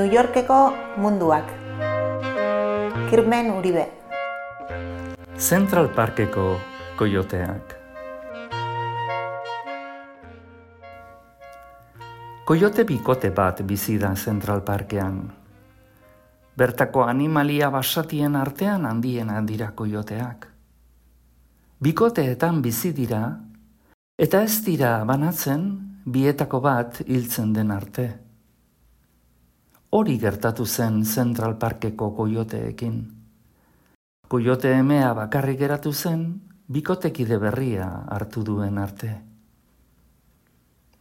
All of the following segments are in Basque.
New Yorkeko munduak. Kirmen Uribe. Central Parkeko koioteak. Koiote bikote bat bizi da Central Parkean. Bertako animalia basatien artean handiena dira koioteak. Bikoteetan bizi dira, eta ez dira banatzen bietako bat hiltzen den arte. Hori gertatu zen Central Parkeko koioteekin. Koiote emea bakarrik geratu zen, bikotekide berria hartu duen arte.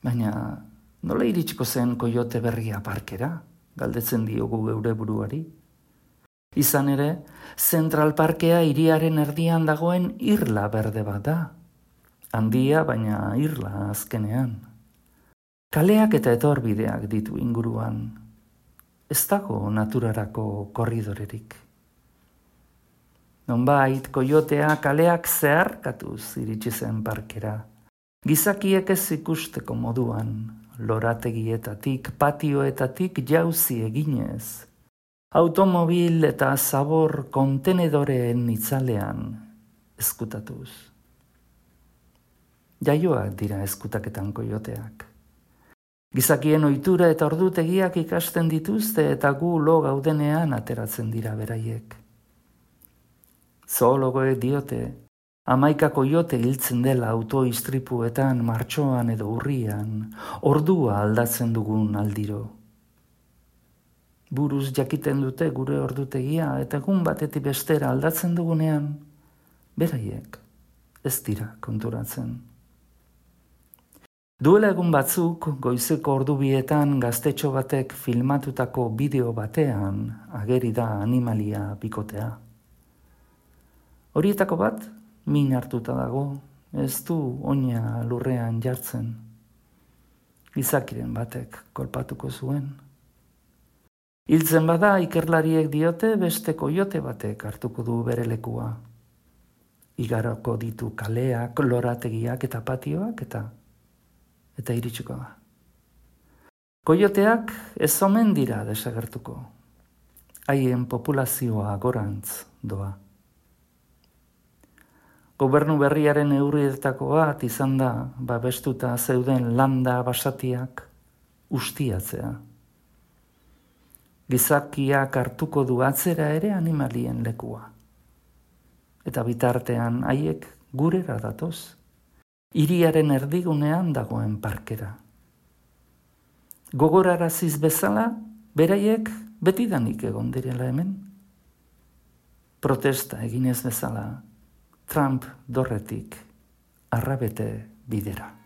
Baina, nola iritsiko zen koiote berria parkera? Galdetzen diogu geure buruari. Izan ere, Central Parkea hiriaren erdian dagoen irla berde bat da. Handia, baina irla azkenean. Kaleak eta etorbideak ditu inguruan. Ez dago naturarako korridorerik. Nonbait, koiotea kaleak zeharkatuz iritsi zen parkera. Gizakiek ez ikusteko moduan, lorategietatik, patioetatik jauzi eginez. Automobil eta zabor kontenedoreen itzalean ezkutatuz. Jaioak dira ezkutaketan koioteak. Gizakien ohitura eta ordutegiak ikasten dituzte eta gu lo gaudenean ateratzen dira beraiek. Zoologoek diote, 11 koiote hiltzen dela autoistripuetan, martxoan edo urrian, ordua aldatzen dugun aldiro. Buruz jakiten dute gure ordutegia eta egun batetik bestera aldatzen dugunean, beraiek ez dira konturatzen. Duela egun batzuk, goizeko ordubietan gaztetxo batek filmatutako bideo batean ageri da animalia bikotea. Horietako bat, min hartuta dago, ez du oina lurrean jartzen. Gizakiren batek kolpatuko zuen. Hiltzen bada, ikerlariek diote beste koiote batek hartuko du bere lekua. Igaroko ditu kaleak, lorategiak eta patioak eta iritsiko da. Koioteak ez omen dira desagertuko. Haien populazioa gorantz doa. Gobernu berriaren neurrietako bat izan da babestuta zeuden landa basatiak ustiatzea. Gizakiak hartuko du atzera ere animalien lekua. Eta bitartean haiek gurera datoz. Hiriaren erdigunean dagoen parkera. Gogoraraziz bezala, beraiek betidanik egon direla hemen. Protesta eginez bezala, Trump dorretik arrabete bidera.